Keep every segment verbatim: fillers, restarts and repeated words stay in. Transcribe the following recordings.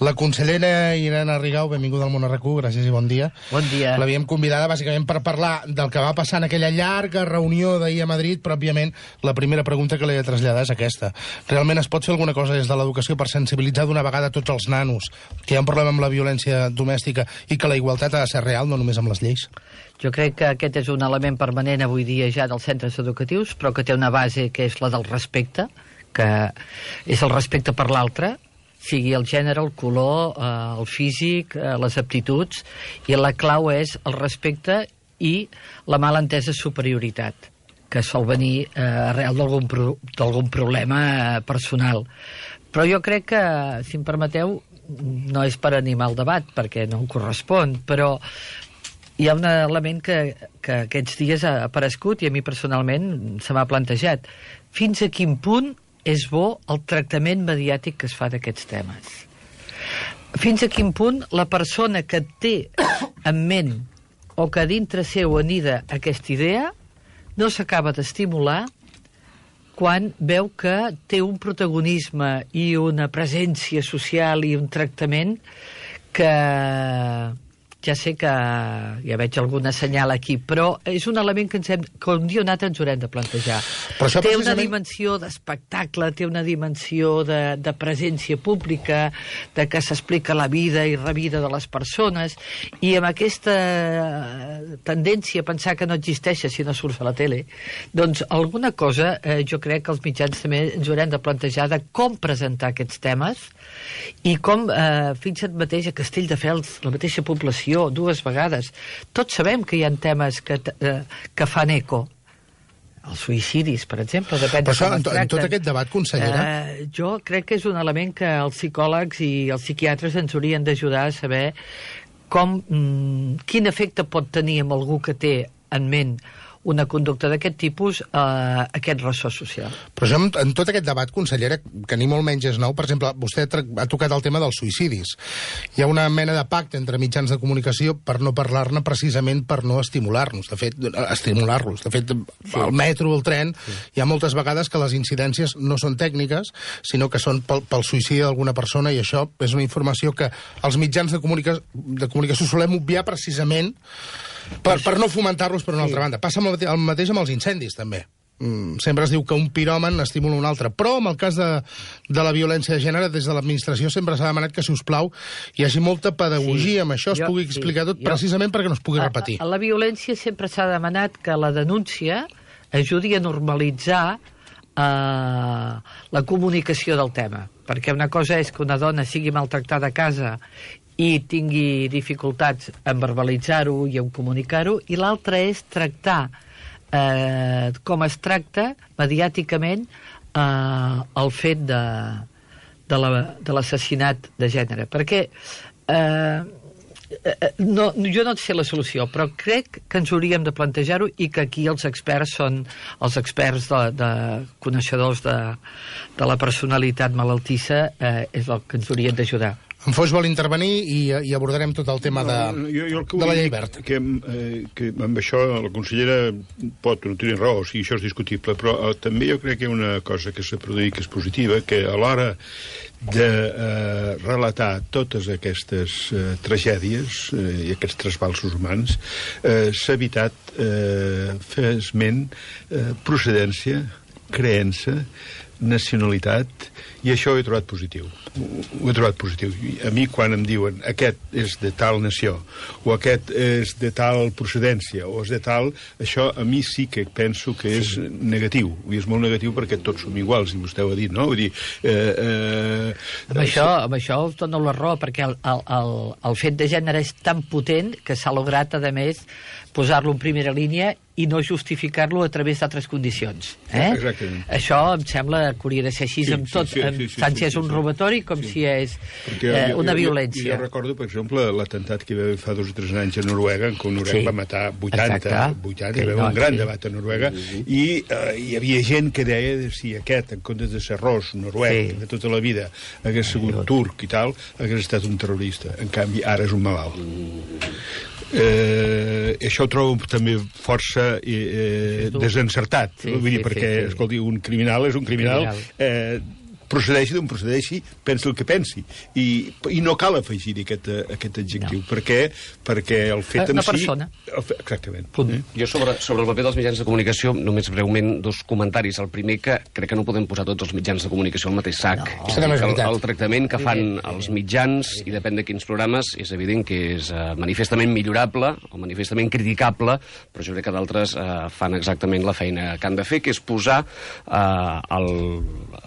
La consellera Irene Rigau, benvinguda al Món R Q, gràcies i bon dia. Bon dia. L'havíem convidada bàsicament per parlar del que va passar en aquella llarga reunió d'ahir a Madrid, però òbviament la primera pregunta que li he de traslladar és aquesta. Realment es pot fer alguna cosa des de l'educació per sensibilitzar d'una vegada tots els nanos que hi ha un problema amb la violència domèstica i que la igualtat ha de ser real, no només amb les lleis? Jo crec que aquest és un element permanent avui dia ja dels centres educatius, però que té una base que és la del respecte, que és el respecte per l'altre, sigui el gènere, el color, eh, el físic, eh, les aptituds, i la clau és el respecte i la malentesa superioritat, que sol venir eh, arrel d'algun pro d'algun problema eh, personal. Però jo crec que, si em permeteu, no és per animar el debat, perquè no em correspon, però hi ha un element que, que aquests dies ha aparegut i a mi personalment se m'ha plantejat. Fins a quin punt és bo el tractament mediàtic que es fa d'aquests temes? Fins a quin punt la persona que té en ment o que dintre seu anida aquesta idea no s'acaba d'estimular quan veu que té un protagonisme i una presència social i un tractament que ja sé que ja veig alguna senyal aquí, però és un element que, ens hem, que un dia o un altre ens haurem de plantejar. Però té precisament una dimensió d'espectacle, té una dimensió de, de presència pública, de que s'explica la vida i revida de les persones, i amb aquesta tendència a pensar que no existeix si no surts a la tele, doncs alguna cosa eh, jo crec que els mitjans també ens haurem de plantejar de com presentar aquests temes i com, eh, fixa't mateix a Castelldefels, la mateixa població, dues vegades. Tots sabem que hi ha temes que, eh, que fan eco. Els suïcidis, per exemple, depèn de com es tracten. En tot aquest debat, consellera... Eh, jo crec que és un element que els psicòlegs i els psiquiatres ens haurien d'ajudar a saber com, mm, quin efecte pot tenir amb algú que té en ment una conducta d'aquest tipus, eh, aquest ressò social. Però això, en tot aquest debat, consellera, que ni molt menys és nou, per exemple, vostè ha tocat el tema dels suïcidis. Hi ha una mena de pacte entre mitjans de comunicació per no parlar-ne precisament per no estimular-nos, de fet, estimular-los. De fet, sí. Al metro, al tren, sí. Hi ha moltes vegades que les incidències no són tècniques, sinó que són pel, pel suïcidi d'alguna persona, i això és una informació que els mitjans de, comunica de comunicació solem obviar precisament Per, per no fomentar-los per una altra banda. Passa el mateix amb els incendis, també. Mm, sempre es diu que un piròman estimula un altre. Però, en el cas de, de la violència de gènere, des de l'administració sempre s'ha demanat que, si us plau, hi hagi molta pedagogia sí, amb això, es jo, pugui explicar sí, tot, jo, precisament perquè no es pugui repetir. A, a la violència sempre s'ha demanat que la denúncia ajudi a normalitzar eh, la comunicació del tema. Perquè una cosa és que una dona sigui maltractada a casa i tingui dificultats en verbalitzar-ho i en comunicar-ho, i l'altre és tractar eh, com es tracta mediàticament eh, el fet de, de l'assassinat de gènere. Perquè eh, no, jo no sé la solució, però crec que ens hauríem de plantejar-ho i que aquí els experts són els experts de, de coneixedors de, de la personalitat malaltissa, eh, és el que ens haurien d'ajudar. En Foix vol intervenir i, i abordarem tot el tema de, no, jo, jo el de la llei verd. Que, eh, que amb això la consellera pot no tenir raó, o sigui, això és discutible, però eh, també jo crec que hi ha una cosa que s'ha produït que és positiva, que a l'hora de eh, relatar totes aquestes eh, tragèdies eh, i aquests trasbalsos humans eh, s'ha evitat eh, fer esment eh, procedència, creença, nacionalitat, i això ho he trobat positiu. Ho he trobat positiu. A mi, quan em diuen aquest és de tal nació, o aquest és de tal procedència, o és de tal... Això a mi sí que penso que és sí. negatiu, i és molt negatiu perquè tots som iguals, i vostè ho ha dit, no? Vull dir... Eh, eh, amb, això, amb això us dono la raó, perquè el, el, el, el fet de gènere és tan potent que s'ha lograt, a més, posar-lo en primera línia i no justificar-lo a través d'altres condicions. Eh? Exactament. Això em sembla que hauria de ser així, sí, amb tot, sí, sí, sí, sí, tant si és un robatori com sí. si és eh, jo, una jo, violència. Jo, jo recordo, per exemple, l'atemptat que hi va haver fa dos o tres anys a Noruega, en què Noruega sí. va matar vuitanta, vuitanta, hi va haver un gran sí. debat a Noruega, sí. i eh, hi havia gent que deia de si aquest, en comptes de ser ros, noruec, sí. de tota la vida, hagués sigut sí. turc i tal, hagués estat un terrorista. En canvi, ara és un malalt. Eh, això ho trobo també força eh, desencertat, sí, vull dir, sí, perquè, sí, sí. escolti, un criminal és un criminal, criminal. Eh, procedeixi d'on procedeixi, pensi el que pensi. I, i no cal afegir aquest, aquest adjectiu, no. perquè, perquè el fet en Una si... persona. El fe, exactament. Mm. Jo sobre, sobre el paper dels mitjans de comunicació, només breument dos comentaris. El primer, que crec que no podem posar tots els mitjans de comunicació al mateix sac. No. El, el tractament que fan els mitjans, i depèn de quins programes, és evident que és uh, manifestament millorable o manifestament criticable, però jo crec que d'altres uh, fan exactament la feina que han de fer, que és posar uh, al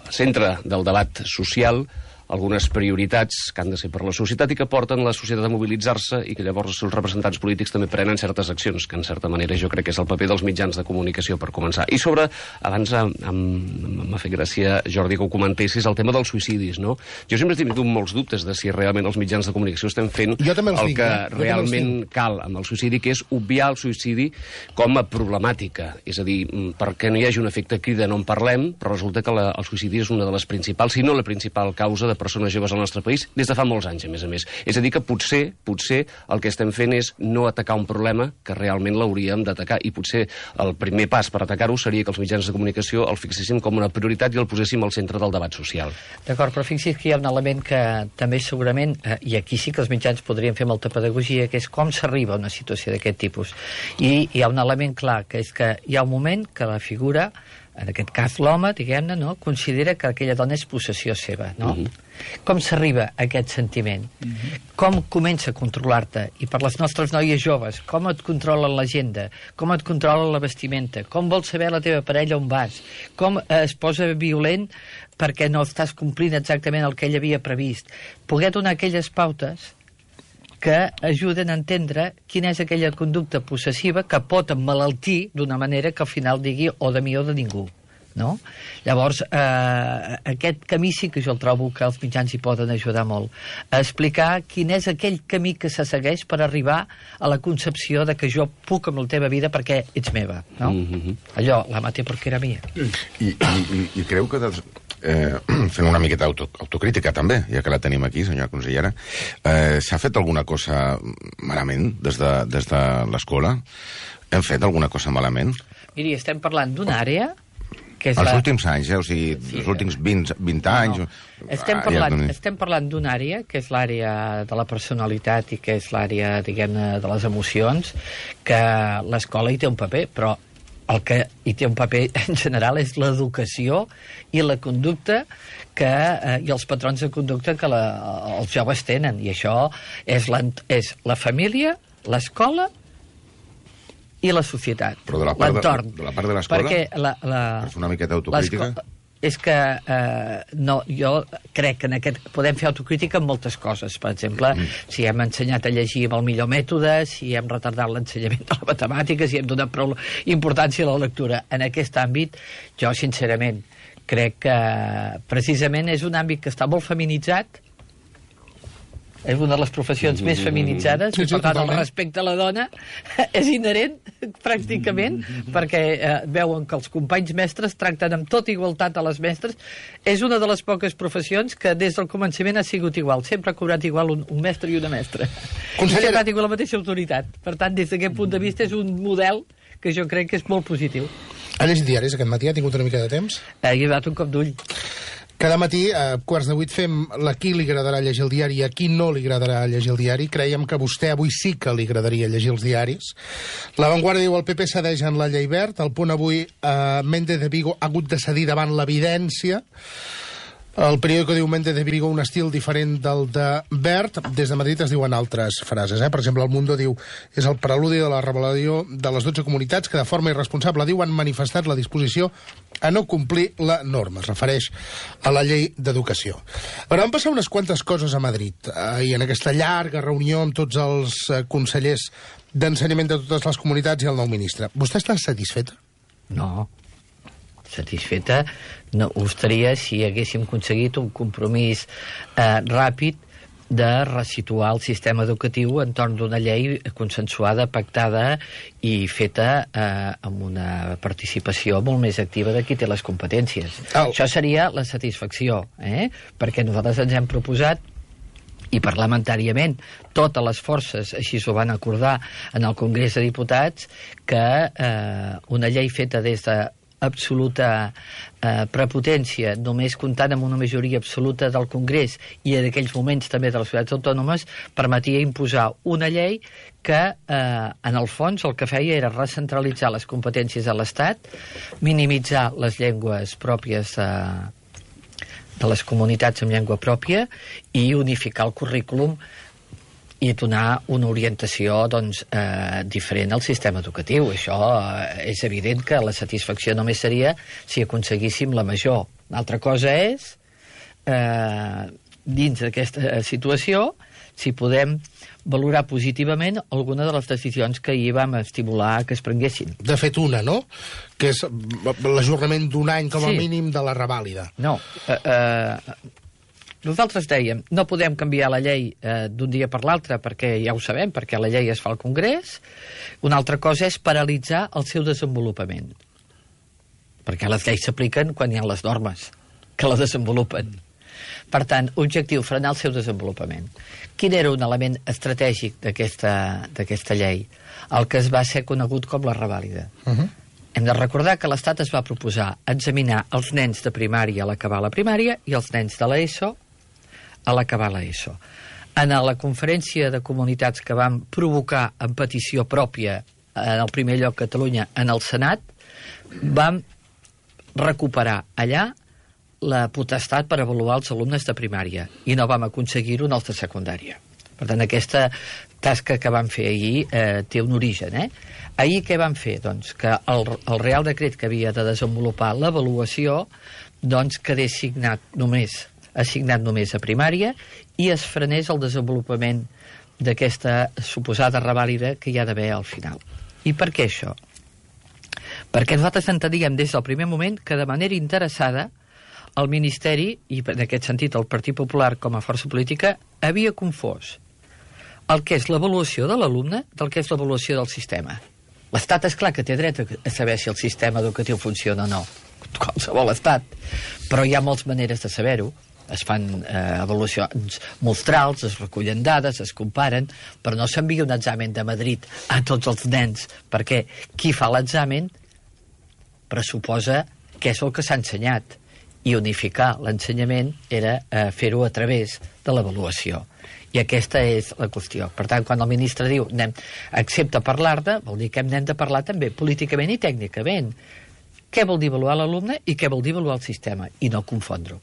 centre del debat social algunes prioritats que han de ser per la societat i que porten la societat a mobilitzar-se i que llavors els seus representants polítics també prenen certes accions, que en certa manera jo crec que és el paper dels mitjans de comunicació per començar. I sobre, abans m'ha fet gràcia, Jordi, que ho comentessis, el tema dels suïcidis, no? Jo sempre he tingut molts dubtes de si realment els mitjans de comunicació estem fent el dic, que eh? realment cal amb el suïcidi, que és obviar el suïcidi com a problemàtica. És a dir, perquè no hi hagi un efecte crida no en parlem, però resulta que la, el suïcidi és una de les principals, si no la principal causa de persones joves al nostre país des de fa molts anys, a més a més. És a dir, que potser, potser el que estem fent és no atacar un problema que realment l'hauríem d'atacar, i potser el primer pas per atacar-ho seria que els mitjans de comunicació el fixéssim com una prioritat i el poséssim al centre del debat social. D'acord, però fixi's que hi ha un element que també segurament, eh, i aquí sí que els mitjans podrien fer molta pedagogia, que és com s'arriba a una situació d'aquest tipus. I hi ha un element clar, que és que hi ha un moment que la figura, en aquest cas l'home, diguem-ne, no, considera que aquella dona és possessió seva, no? Uh-huh. Com s'arriba a aquest sentiment? Uh-huh. Com comença a controlar-te? I per les nostres noies joves, com et controla l'agenda? Com et controla la vestimenta? Com vols saber la teva parella on vas? Com eh, es posa violent perquè no estàs complint exactament el que ell havia previst? Poder donar aquelles pautes que ajuden a entendre quina és aquella conducta possessiva que pot emmalaltir d'una manera que al final digui o de mi o de ningú, no? Llavors, eh, aquest camí sí que jo el trobo que els mitjans hi poden ajudar molt, a explicar quin és aquell camí que se segueix per arribar a la concepció de que jo puc amb la teva vida perquè ets meva, no? Mm-hmm. Allò, la maté perquè era mia. I, i, i, i creu que... Dels... Eh, fent una miqueta auto, autocrítica també, ja que la tenim aquí, senyora consellera, eh, s'ha fet alguna cosa malament des de, des de l'escola? Hem fet alguna cosa malament? Miri, estem parlant d'una àrea que és els la... últims anys, eh? O sigui, sí, els últims vint, vint anys... No, no. Estem parlant, estem parlant d'una àrea que és l'àrea de la personalitat i que és l'àrea, diguem-ne, de les emocions, que l'escola hi té un paper, però el que hi té un paper en general és l'educació i la conducta que, eh, i els patrons de conducta que la, els joves tenen. I això és, és la família, l'escola i la societat, l'entorn. De la part de l'escola, perquè la, la, per fer una miqueta autocrítica... És que eh, no, jo crec que en aquest podem fer autocrítica en moltes coses. Per exemple, mm. si hem ensenyat a llegir amb el millor mètode, si hem retardat l'ensenyament de la matemàtica, si hem donat prou importància a la lectura. En aquest àmbit, jo sincerament crec que precisament és un àmbit que està molt feminitzat, és una de les professions més feminitzades, sí, sí, i per tant el respecte a la dona és inherent, pràcticament, perquè eh, veuen que els companys mestres tracten amb tota igualtat a les mestres. És una de les poques professions que des del començament ha sigut igual. Sempre ha cobrat igual un, un mestre i una mestra. Consellera... Sempre ha tingut la mateixa autoritat. Per tant, des d'aquest punt de vista és un model que jo crec que és molt positiu. Ha llegit diaris aquest matí? Ha tingut una mica de temps? Eh, he donat un cop d'ull. Cada matí, a quarts de vuit, fem a qui li agradarà llegir el diari i a qui no li agradarà llegir el diari. Creiem que a vostè avui sí que li agradaria llegir els diaris. La Vanguardia diu el P P cedeix en la llei Wert. El Punt avui, eh, Méndez de Vigo ha hagut de cedir davant l'evidència. El periòdico diu Méndez de Vigo un estil diferent del de Wert. Des de Madrid es diuen altres frases. Eh? Per exemple, el Mundo diu és el preludi de la rebel·lió de les dotze comunitats que de forma irresponsable, diu, han manifestat la disposició a no complir la norma. Es refereix a la llei d'educació. Però van passar unes quantes coses a Madrid eh, i en aquesta llarga reunió amb tots els eh, consellers d'ensenyament de totes les comunitats i el nou ministre. Vostè està satisfeta? No. Satisfeta no ho estaria si haguéssim aconseguit un compromís eh, ràpid de resituar el sistema educatiu entorn d'una llei consensuada, pactada i feta eh, amb una participació molt més activa de qui té les competències. Oh. Això seria la satisfacció, eh? Perquè nosaltres ens hem proposat i parlamentàriament totes les forces així s'ho van acordar en el Congrés de Diputats que eh, una llei feta des de absoluta eh, prepotència, només comptant amb una majoria absoluta del Congrés i en aquells moments també de les ciutats autònomes, permetia imposar una llei que, eh, en el fons, el que feia era recentralitzar les competències de l'Estat, minimitzar les llengües pròpies eh, de les comunitats amb llengua pròpia i unificar el currículum i donar una orientació doncs, eh, diferent al sistema educatiu. Això eh, és evident que la satisfacció només seria si aconseguíssim la major. Una altra cosa és, eh, dins d'aquesta situació, si podem valorar positivament alguna de les decisions que ahir vam estimular que es prenguessin. De fet, una, no? Que és l'ajornament d'un any com a Sí. mínim de la revàlida. No, eh, eh, nosaltres dèiem, no podem canviar la llei eh, d'un dia per l'altre, perquè ja ho sabem, perquè la llei es fa al Congrés. Una altra cosa és paralitzar el seu desenvolupament. Perquè les lleis s'apliquen quan hi ha les normes que la desenvolupen. Per tant, objectiu, frenar el seu desenvolupament. Quin era un element estratègic d'aquesta d'aquesta llei? El que es va ser conegut com la revàlida. Uh -huh. Hem de recordar que l'Estat es va proposar examinar els nens de primària a l'acabar la primària i els nens de l'ESO a l'acabar l'ESO. En la conferència de comunitats que vam provocar en petició pròpia, en el primer lloc Catalunya, en el Senat, vam recuperar allà la potestat per avaluar els alumnes de primària i no vam aconseguir-ho en els de secundària. Per tant, aquesta tasca que vam fer ahir eh, té un origen. Eh? Ahir què vam fer? Doncs que el, el Real Decret que havia de desenvolupar l'avaluació doncs quedés signat només, assignat només a primària i es frenés el desenvolupament d'aquesta suposada revàlida que hi ha d'haver al final. I per què això? Perquè nosaltres enteníem des del primer moment que de manera interessada el Ministeri, i en aquest sentit el Partit Popular com a força política, havia confós el que és l'avaluació de l'alumne del que és l'avaluació del sistema. L'Estat, és clar que té dret a saber si el sistema educatiu funciona o no, qualsevol estat, però hi ha moltes maneres de saber-ho. Es fan eh, avaluacions mostrals, es recullen dades, es comparen, però no s'envia un examen de Madrid a tots els nens, perquè qui fa l'examen pressuposa què és el que s'ha ensenyat, i unificar l'ensenyament era eh, fer-ho a través de l'avaluació. I aquesta és la qüestió. Per tant, quan el ministre diu anem, accepta parlar-ne, vol dir que hem de parlar també políticament i tècnicament. Què vol dir avaluar l'alumne i què vol dir avaluar el sistema, i no confondre-ho.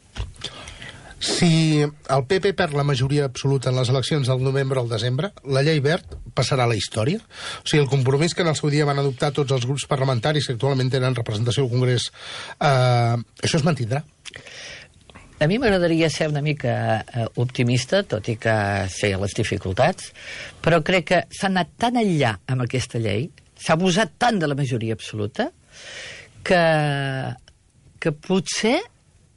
Si el P P perd la majoria absoluta en les eleccions del novembre al desembre, la llei Wert passarà a la història? O sigui, el compromís que en el seu dia van adoptar tots els grups parlamentaris que actualment tenen representació al Congrés, eh, això es mantindrà? A mi m'agradaria ser una mica eh, optimista, tot i que sé les dificultats, però crec que s'ha anat tan enllà amb aquesta llei, s'ha abusat tant de la majoria absoluta, que, que potser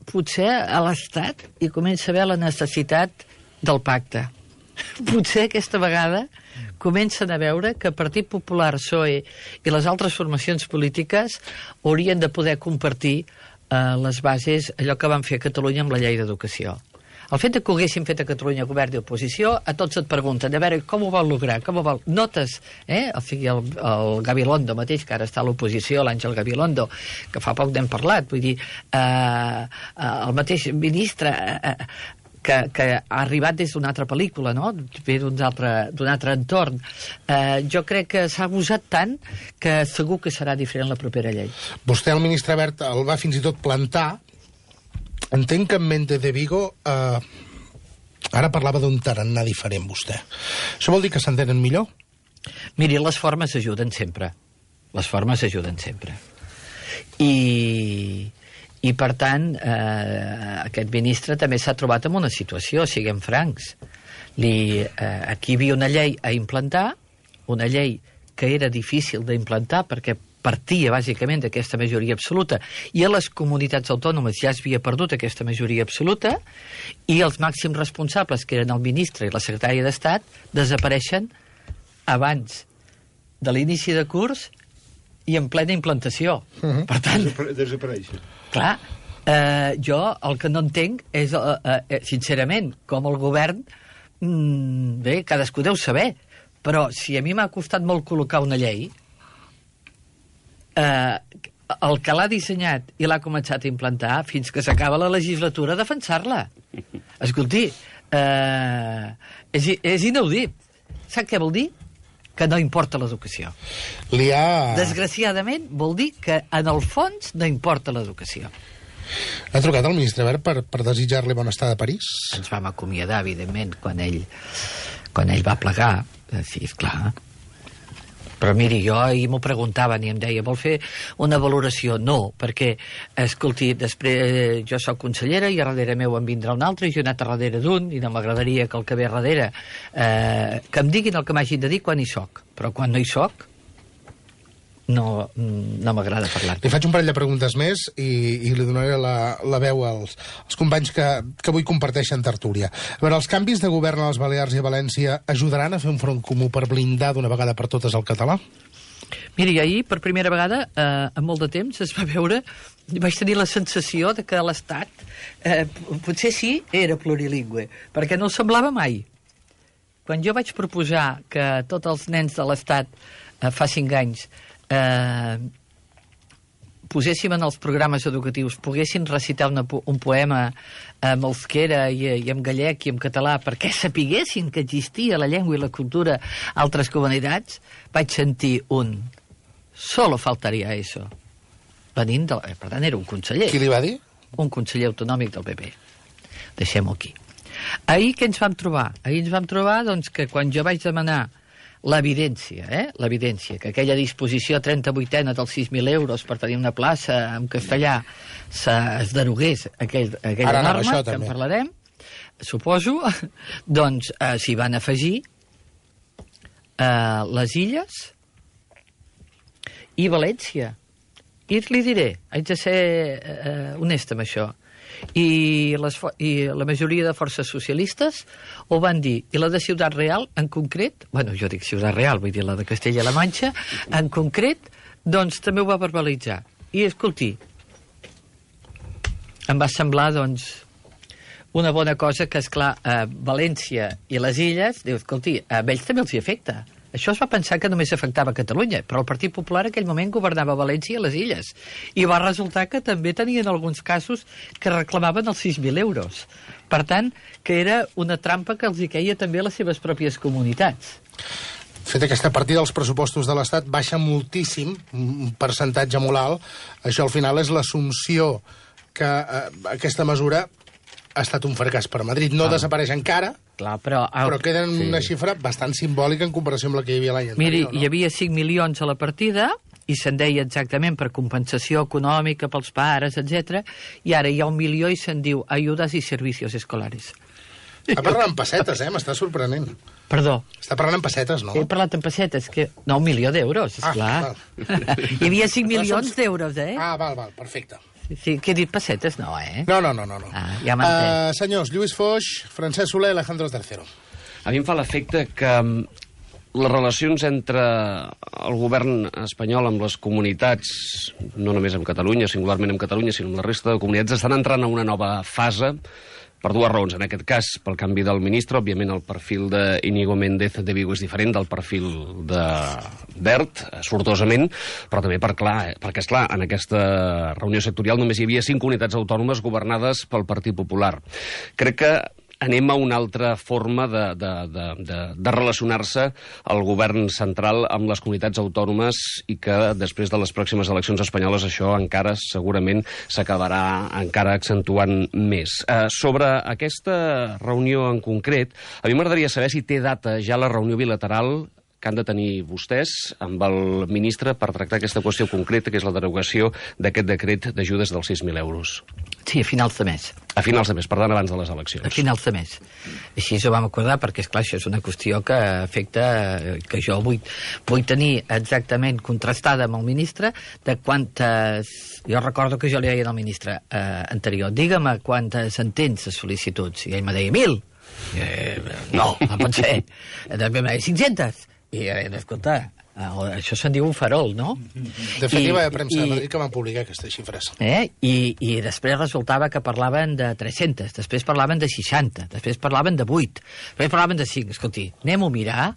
potser a l'Estat hi comença a haver la necessitat del pacte. Potser aquesta vegada comencen a veure que el Partit Popular, P S O E i les altres formacions polítiques haurien de poder compartir eh, les bases, allò que van fer a Catalunya amb la llei d'educació. El fet que ho haguessin fet a Catalunya govern i oposició, a tots et pregunten, a veure, com ho vol lograr, com ho vol... Notes, eh? O sigui, el, el Gabilondo mateix, que ara està a l'oposició, l'Àngel Gabilondo, que fa poc n'hem parlat, vull dir, eh, el mateix ministre... Eh, que, que ha arribat des d'una altra pel·lícula, no? Ve d'un altre, d'un altre entorn. Eh, jo crec que s'ha abusat tant que segur que serà diferent la propera llei. Vostè, el ministre Wert, el va fins i tot plantar. Entenc que en Mente de Vigo eh, ara parlava d'un tarannà diferent, vostè. Això vol dir que s'entenen millor? Miri, les formes ajuden sempre. Les formes ajuden sempre. I... I, per tant, eh, aquest ministre també s'ha trobat en una situació, siguem francs. Li, eh, aquí hi havia una llei a implantar, una llei que era difícil d'implantar perquè partia bàsicament d'aquesta majoria absoluta i a les comunitats autònomes ja es havia perdut aquesta majoria absoluta i els màxims responsables, que eren el ministre i la secretària d'Estat, desapareixen abans de l'inici de curs i en plena implantació. Uh-huh. Per tant... Desapareixen. Clar, eh, jo el que no entenc és, eh, eh, sincerament, com el govern, mm, bé, cadascú deu saber, però si a mi m'ha costat molt col·locar una llei, eh, el que l'ha dissenyat i l'ha començat a implantar fins que s'acaba la legislatura a defensar-la. Escolti, eh, és, és inaudit. Sap què vol dir? Que no importa l'educació. Li ha... Desgraciadament, vol dir que, en el fons, no importa l'educació. Ha trucat al ministre Wert per, per desitjar-li bona estada a París? Ens vam acomiadar, evidentment, quan ell, quan ell va plegar. Sí, esclar. Però miri, jo ahir m'ho preguntaven i em deia, vol fer una valoració? No, perquè, escolti, després jo sóc consellera i a darrere meu en vindrà un altre i jo he anat a darrere d'un i no m'agradaria que el que ve a darrere eh, que em diguin el que m'hagin de dir quan hi soc. Però quan no hi soc, no, no m'agrada parlar. Li faig un parell de preguntes més i, i li donaré la, la veu als, als companys que, que avui comparteixen tertúlia. A veure, els canvis de govern a les Balears i a València ajudaran a fer un front comú per blindar d'una vegada per totes el català? Miri, ahir, per primera vegada, eh, en molt de temps, es va veure, vaig tenir la sensació de que l'Estat eh, potser sí era plurilingüe, perquè no semblava mai. Quan jo vaig proposar que tots els nens de l'Estat eh, fa cinc anys eh, poséssim en els programes educatius, poguessin recitar una, un poema en euskera i, i en gallec i en català perquè sapiguessin que existia la llengua i la cultura a altres comunitats, vaig sentir un solo faltaria eso. Venint de... Per tant, era un conseller. Qui li va dir? Un conseller autonòmic del P P. Deixem-ho aquí. Ahir què ens vam trobar? Ahir ens vam trobar doncs, que quan jo vaig demanar l'evidència, eh? l'evidència, que aquella disposició trenta-vuitena dels sis mil euros per tenir una plaça en castellà se, es derogués aquell, aquella Ara norma, això, que també. en parlarem, suposo, doncs eh, s'hi van afegir eh, les Illes i València. I li diré, haig de ser eh, honesta amb això, i, les, i la majoria de forces socialistes ho van dir, i la de Ciutat Real en concret, bueno, jo dic Ciutat Real, vull dir la de Castella-La Manxa, en concret, doncs també ho va verbalitzar. I escolti, em va semblar, doncs, una bona cosa que, esclar, a València i les Illes, diu, escolti, a ells també els hi afecta. Això es va pensar que només afectava Catalunya, però el Partit Popular en aquell moment governava València i les Illes. I va resultar que també tenien alguns casos que reclamaven els sis mil euros. Per tant, que era una trampa que els hi queia també a les seves pròpies comunitats. Fet aquesta partida dels pressupostos de l'Estat baixa moltíssim, un percentatge molt alt. Això al final és l'assumpció que eh, aquesta mesura ha estat un fracàs per Madrid. No ah. desapareix encara, Clar, però, però queda en sí. una xifra bastant simbòlica en comparació amb la que hi havia l'any anterior. Miri, no? hi havia cinc milions a la partida i se'n deia exactament per compensació econòmica pels pares, etcètera. I ara hi ha un milió i se'n diu ajudes i servicios escolares. Està parlant en pessetes, eh? M'està sorprenent. Perdó. Està parlant en pessetes, no? He parlat en pessetes, que... No, un milió d'euros, esclar. Ah, hi havia cinc milions d'euros, eh? Ah, val, val, perfecte. Sí, que he dit pessetes, no, eh? No, no, no, no. no. Ah, ja m'entenc. Uh, senyors, Lluís Foix, Francesc Soler, Alejandro Tercero. A mi em fa l'efecte que les relacions entre el govern espanyol amb les comunitats, no només amb Catalunya, singularment amb Catalunya, sinó amb la resta de comunitats, estan entrant a una nova fase per dues raons. En aquest cas, pel canvi del ministre, òbviament el perfil d'Iñigo Méndez de Vigo és diferent del perfil de Wert, sortosament, però també per clar, perquè, esclar, en aquesta reunió sectorial només hi havia cinc comunitats autònomes governades pel Partit Popular. Crec que anem a una altra forma de, de, de, de, de relacionar-se el govern central amb les comunitats autònomes i que després de les pròximes eleccions espanyoles això encara segurament s'acabarà encara accentuant més. Eh, sobre aquesta reunió en concret, a mi m'agradaria saber si té data ja la reunió bilateral que han de tenir vostès amb el ministre per tractar aquesta qüestió concreta, que és la derogació d'aquest decret d'ajudes dels sis mil euros. Sí, a finals de mes. A finals de mes, per tant, abans de les eleccions. A finals de mes. Així ho vam acordar, perquè, esclar, això és una qüestió que afecta, que jo vull, vull tenir exactament contrastada amb el ministre, de quantes... Jo recordo que jo li deia al ministre eh, anterior, digue'm quantes en tens de sol·licituds, i ell me deia mil. Eh, no, no pot ser. Després me deia cinc-centes. I, eh, escolta, això se'n diu un farol, no? De fet, hi va haver premsa de Madrid que van publicar aquestes xifres. Eh? I, I després resultava que parlaven de tres-centes, després parlaven de seixanta, després parlaven de vuit, després parlaven de cinc. Escolti, anem-ho a mirar,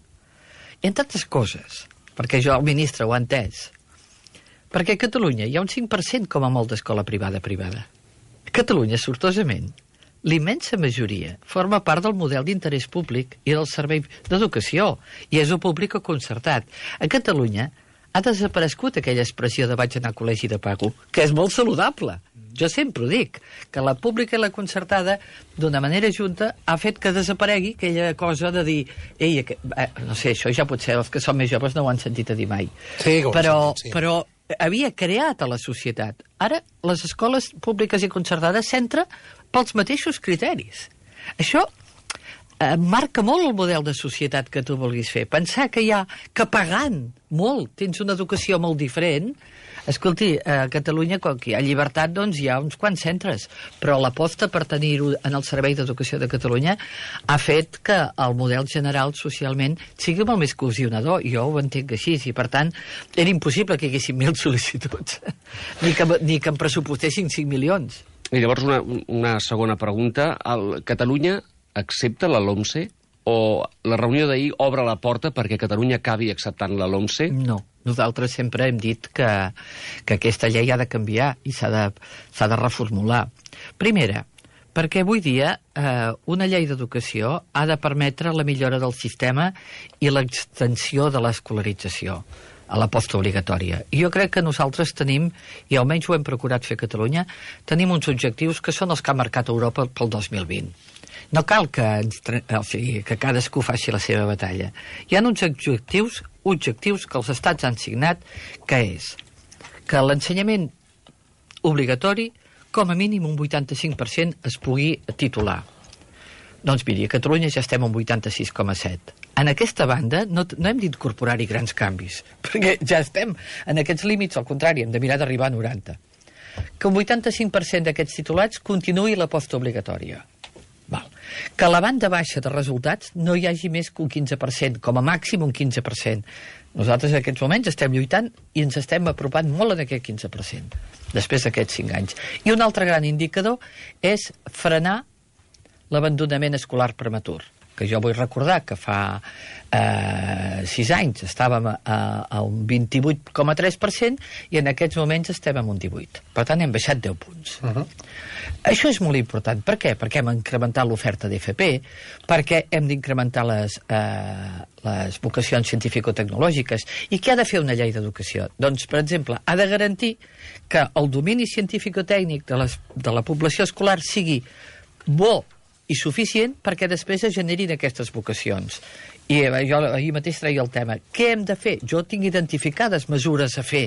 i en tantes coses, perquè jo, el ministre, ho ha entès, Perquè a Catalunya hi ha un cinc per cent com a molt d'escola privada-privada. A Catalunya, sortosament, l'immensa majoria forma part del model d'interès públic i del servei d'educació, i és o públic o concertat. A Catalunya ha desaparegut aquella expressió de vaig anar a col·legi de pago, que és molt saludable. Jo sempre ho dic, que la pública i la concertada, d'una manera junta, ha fet que desaparegui aquella cosa de dir, ei, eh, no sé, això ja potser els que són més joves no ho han sentit a dir mai. Sí, però, sentit, sí. però havia creat a la societat. Ara, les escoles públiques i concertades s'entra pels mateixos criteris. Això eh, marca molt el model de societat que tu vulguis fer. Pensar que hi ha, que pagant molt, tens una educació molt diferent. Escolti, a Catalunya, quan hi ha llibertat, doncs hi ha uns quants centres, però l'aposta per tenir-ho en el Servei d'Educació de Catalunya ha fet que el model general socialment sigui molt més cohesionador. Jo ho entenc així, i per tant era impossible que hi haguessin mil sol·licituds, ni que, ni que em pressupostessin cinc milions. I llavors una, una segona pregunta. El Catalunya accepta la LOMCE o la reunió d'ahir obre la porta perquè Catalunya acabi acceptant la LOMCE? No. Nosaltres sempre hem dit que, que aquesta llei ha de canviar i s'ha de, s'ha de reformular. Primera, perquè avui dia eh, una llei d'educació ha de permetre la millora del sistema i l'extensió de l'escolarització a la postobligatòria. I jo crec que nosaltres tenim, i almenys ho hem procurat fer a Catalunya, tenim uns objectius que són els que ha marcat Europa pel dos mil vint. No cal que, ens, o sigui, que cadascú faci la seva batalla. Hi ha uns objectius, objectius que els estats han signat, que és que l'ensenyament obligatori, com a mínim un vuitanta-cinc per cent es pugui titular. Doncs miri, a Catalunya ja estem en vuitanta-sis coma set. En aquesta banda no, no hem d'incorporar-hi grans canvis, perquè ja estem en aquests límits, al contrari, hem de mirar d'arribar a noranta. Que un vuitanta-cinc per cent d'aquests titulats continuï la postobligatòria. Val. Que a la banda baixa de resultats no hi hagi més que un quinze per cent, com a màxim un quinze per cent. Nosaltres en aquests moments estem lluitant i ens estem apropant molt en aquest quinze per cent, després d'aquests cinc anys. I un altre gran indicador és frenar l'abandonament escolar prematur, que jo vull recordar que fa eh, sis anys estàvem a, a un vint-i-vuit coma tres per cent i en aquests moments estem en un divuit. Per tant, hem baixat deu punts. Uh-huh. Això és molt important. Per què? Perquè hem incrementat l'oferta d'F P, perquè hem d'incrementar les, eh, les vocacions científico-tecnològiques. I què ha de fer una llei d'educació? Doncs, per exemple, ha de garantir que el domini científico-tècnic de, les, de la població escolar sigui bo i suficient perquè després es generin aquestes vocacions. I jo ahir mateix treia el tema. Què hem de fer? Jo tinc identificades mesures a fer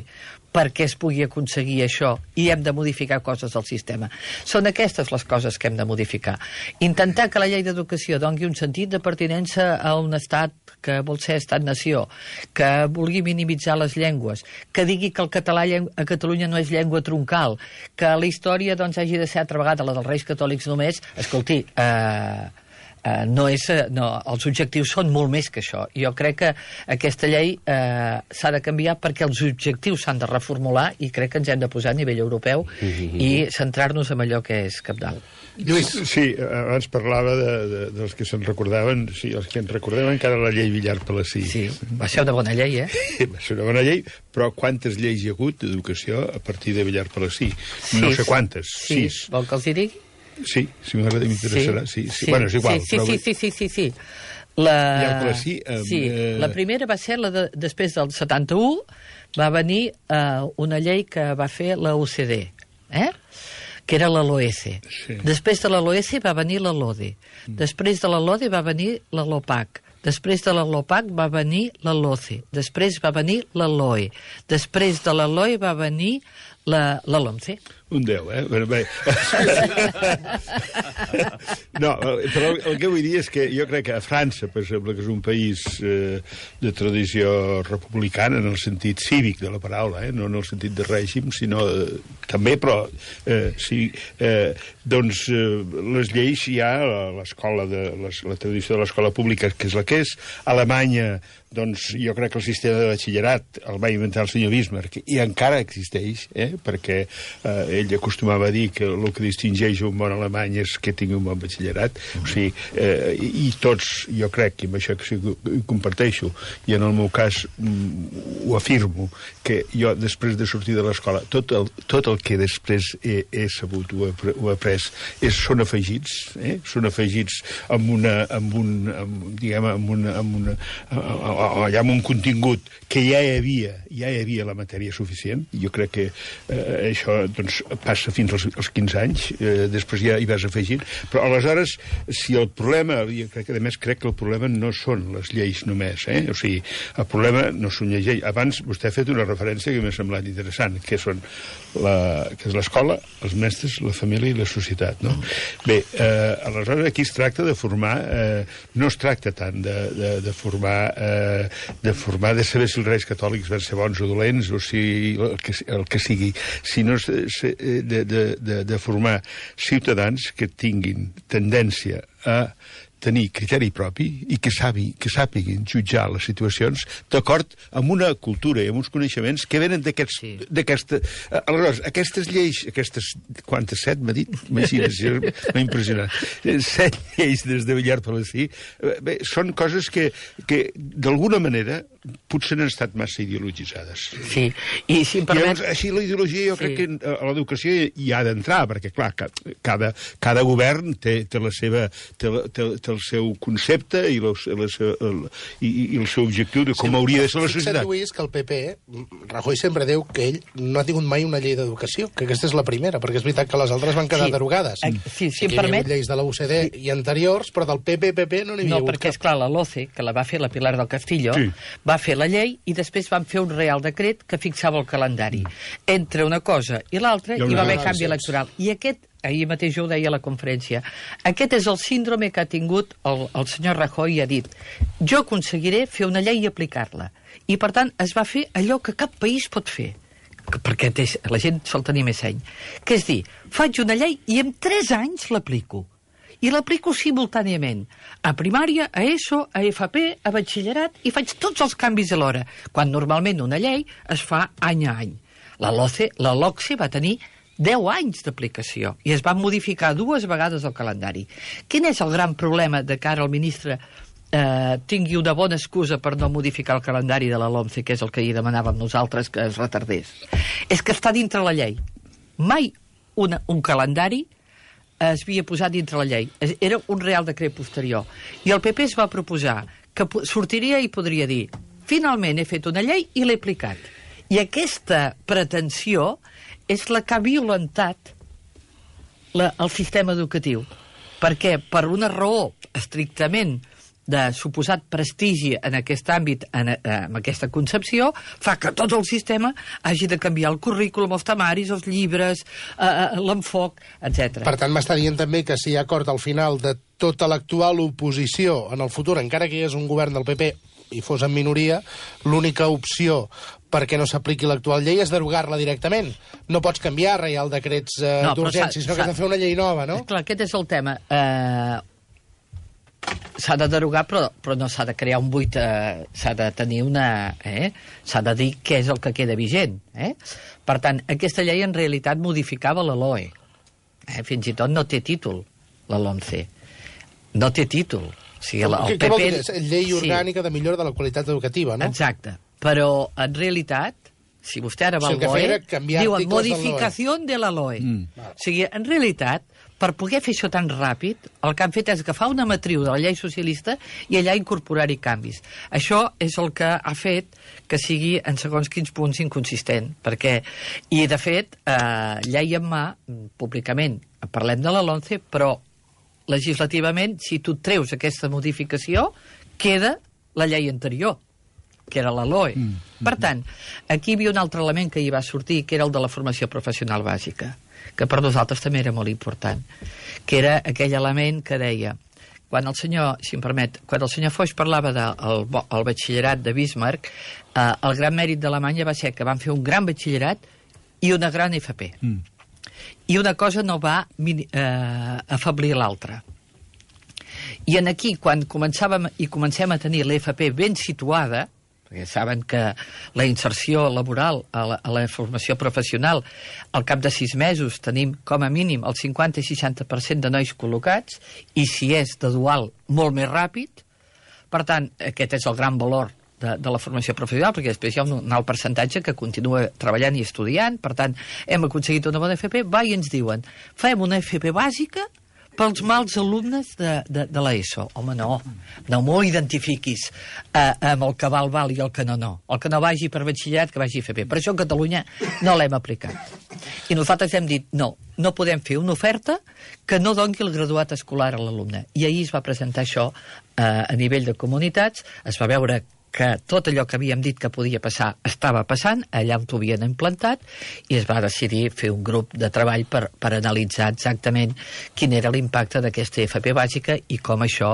perquè es pugui aconseguir això i hem de modificar coses del sistema. Són aquestes les coses que hem de modificar. Intentar que la llei d'educació doni un sentit de pertinença a un estat que vol ser estat-nació, que vulgui minimitzar les llengües, que digui que el català a Catalunya no és llengua troncal, que la història doncs, hagi de ser altra vegada la dels Reis Catòlics només. Escolti, eh... Uh, no és, uh, no, els objectius són molt més que això. Jo crec que aquesta llei uh, s'ha de canviar perquè els objectius s'han de reformular i crec que ens hem de posar a nivell europeu mm-hmm. i centrar-nos en allò que és cabdal. Lluís. Sí, abans parlava de, de, dels que se'n recordaven, sí, els que ens recordem encara la llei Villar-Palací. Sí, va ser una bona llei, eh? Va ser una bona llei, però quantes lleis hi ha hagut d'educació a partir de Villar-Palací? Sí, no sé quantes, sí. sis. Vol que els hi digui? Sí, si m'agrada, m'interessarà. Sí, sí, sí. Bueno, és igual. Sí, sí, però... sí, sí, sí, sí, sí. La... Villar-Palací, eh, sí, la primera va ser la de, després del setanta-u, va venir eh, una llei que va fer la O C D, eh? que era la LOECE. Sí. Després de la LOECE va venir la LODE. Mm. Després de la LODE va venir la LOPAC. Després de la LOPAC va venir la LOCE. Després va venir la LOE. Després de la LOE va venir la, la LOMCE. Un deu, eh? Bé, bé. No, però el, el que vull dir és que jo crec que a França, per exemple, que és un país eh, de tradició republicana en el sentit cívic de la paraula, eh? No en el sentit de règim, sinó eh, també, però eh, sí, eh, doncs eh, les lleis hi ha, l'escola de, les, la tradició de l'escola pública, que és la que és. A Alemanya, doncs jo crec que el sistema de batxillerat el va inventar el senyor Bismarck i encara existeix, eh? Perquè eh, ell ell acostumava a dir que el que distingeix un bon alemany és que tingui un bon batxillerat. O sigui, eh, i tots, jo crec, i amb això que sí que ho comparteixo, i en el meu cas mm, ho afirmo, que jo, després de sortir de l'escola, tot el, tot el que després he, he sabut, ho he, ho he après, és, són afegits, eh? Són afegits amb una, amb un, amb, diguem, amb una, amb una, allà amb un contingut que ja hi havia, ja hi havia la matèria suficient. Jo crec que eh, això doncs, passa fins als, als quinze anys, eh, després ja hi vas afegint, però aleshores, si el problema, jo crec que a més crec que el problema no són les lleis només, eh? O sigui, el problema no són les lleis. Abans vostè ha fet una referència que m'ha semblat interessant, que són la, que és l'escola, els mestres, la família i la societat, no? Bé, eh, aleshores aquí es tracta de formar, eh, no es tracta tant de, de, de formar, eh, de formar, de saber si els reis catòlics van ser bons o dolents, o si el que, el que sigui, sinó de, de, de, de formar ciutadans que tinguin tendència a tenir criteri propi i que, sabi, que sàpiguin jutjar les situacions d'acord amb una cultura i amb uns coneixements que venen d'aquests... Sí. d'aquesta... Aleshores, aquestes lleis, aquestes... Quantes? Set, m'ha dit? Imagina't, m'ha impressionat. Set lleis des de Villar Palací. Bé, són coses que, que d'alguna manera, potser han estat massa ideologitzades. Sí, i si em permet... I llavors, així la ideologia jo sí. crec que a l'educació hi ha d'entrar, perquè, clar, cada, cada govern té, té la seva... Té, té, té el seu concepte i, la, la, el, i, i el seu objectiu de com sí, hauria de ser la societat. Fixa't, Lluís, que el P P, Rajoy sempre diu que ell no ha tingut mai una llei d'educació, que aquesta és la primera, perquè és veritat que les altres van quedar sí. derogades. Sí, sí, sí que hi havia lleis de la U C D sí. i anteriors, però del P P P P no n'hi havia no, hagut perquè, cap. esclar, la LOCE, que la va fer la Pilar del Castillo, sí. va fer la llei i després van fer un Real Decret que fixava el calendari. Entre una cosa i l'altra hi va haver canvi electoral. I aquest ahir mateix jo ho deia a la conferència, aquest és el síndrome que ha tingut el, el senyor Rajoy i ha dit jo aconseguiré fer una llei i aplicar-la. I, per tant, es va fer allò que cap país pot fer, perquè la gent sol tenir més seny, que és dir, faig una llei i en tres anys l'aplico. I l'aplico simultàniament, a primària, a ESO, a F P, a batxillerat, i faig tots els canvis alhora, quan normalment una llei es fa any a any. La LOCE, la LOCSE va tenir deu anys d'aplicació i es va modificar dues vegades el calendari. Quin és el gran problema de que ara el ministre eh, tingui una bona excusa per no modificar el calendari de la LOMCE, que és el que hi demanàvem nosaltres que es retardés? És que està dintre la llei. Mai una, un calendari es havia posat dintre la llei. Era un Real Decret posterior. I el P P es va proposar que sortiria i podria dir finalment he fet una llei i l'he aplicat. I aquesta pretensió és la que ha violentat la, el sistema educatiu. Perquè per una raó estrictament de suposat prestigi en aquest àmbit, en, en aquesta concepció, fa que tot el sistema hagi de canviar el currículum, els temaris, els llibres, eh, l'enfoc, etcètera. Per tant, m'està dient també que si hi ha acord al final de tota l'actual oposició en el futur, encara que hi és un govern del P P i fos en minoria, l'única opció perquè no s'apliqui l'actual llei és derogar-la directament. No pots canviar reial decrets eh, no, d'urgència, sinó que has de fer una llei nova, no? Clar, aquest és el tema. Eh, s'ha de derogar, però, però no s'ha de crear un buit, eh, s'ha de tenir una... Eh? S'ha de dir què és el que queda vigent. Eh? Per tant, aquesta llei en realitat modificava la LOE. Eh? Fins i tot no té títol, la LOMCE. No té títol. O sigui, el, el què, P P... què vol dir? És llei orgànica sí. de millora de la qualitat educativa, no? Exacte. Però, en realitat, si vostè ara va al LOE, diuen modificació de la LOE. Mm. O sigui, en realitat, per poder fer això tan ràpid, el que han fet és agafar una matriu de la llei socialista i allà incorporar-hi canvis. Això és el que ha fet que sigui, en segons quins punts, inconsistent. Perquè, i de fet, eh, llei en mà, públicament, parlem de la LOMCE, però legislativament, si tu treus aquesta modificació, queda la llei anterior, que era la LOE. Mm, mm, per tant, aquí hi havia un altre element que hi va sortir, que era el de la formació professional bàsica, que per nosaltres també era molt important, que era aquell element que deia, quan el senyor, si em permet, quan el senyor Foix parlava del el batxillerat de Bismarck, eh, el gran mèrit d'Alemanya va ser que van fer un gran batxillerat i una gran F P. Mm. I una cosa no va eh, afablir l'altra. I en aquí, quan començàvem i comencem a tenir l'F P ben situada, perquè saben que la inserció laboral a la, a la formació professional, al cap de sis mesos tenim com a mínim el cinquanta i seixanta per cent de nois col·locats, i si és de dual, molt més ràpid. Per tant, aquest és el gran valor de, de la formació professional, perquè després hi ha un, un alt percentatge que continua treballant i estudiant. Per tant, hem aconseguit una bona F P, va i ens diuen, fem una F P bàsica pels mals alumnes de, de, de l'ESO. Home, no, no m'ho identifiquis eh, amb el que val, val i el que no, no. El que no vagi per batxillerat, que vagi a F P. Per això a Catalunya no l'hem aplicat. I nosaltres hem dit, no, no podem fer una oferta que no doni el graduat escolar a l'alumne. I ahir es va presentar això eh, a nivell de comunitats, es va veure que tot allò que havíem dit que podia passar estava passant, allà on ho havien implantat, i es va decidir fer un grup de treball per, per analitzar exactament quin era l'impacte d'aquesta F P bàsica i com això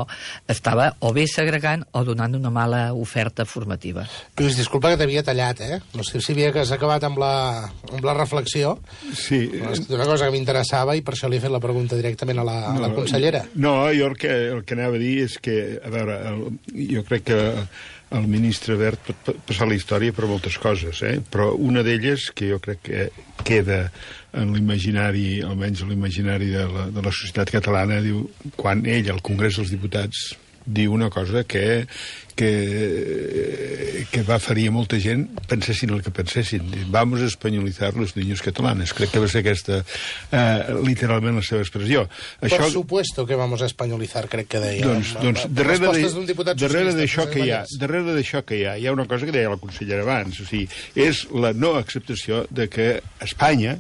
estava o bé segregant o donant una mala oferta formativa. Lluís, disculpa que t'havia tallat, eh? No sé si havia que has acabat amb la, amb la reflexió. Sí. És una cosa que m'interessava i per això li he fet la pregunta directament a la, no, a la consellera. No, jo el que, el que anava a dir és que, a veure, el, jo crec que el ministre Wert pot passar la història per moltes coses, eh? Però una d'elles, que jo crec que queda en l'imaginari, almenys en l'imaginari de la, de la societat catalana, diu, quan ell, al Congrés dels Diputats, diu una cosa que, que, que va ferir a molta gent, pensessin el que pensessin. Vamos a españolizar los niños catalanes. Crec que va ser aquesta, eh, literalment, la seva expressió. Por Això... supuesto que vamos a españolizar, crec que deia. Doncs, doncs darrere darrere d'això que hi ha, darrere d'això que hi ha, hi ha una cosa que deia la consellera abans, o sigui, és la no acceptació de que Espanya,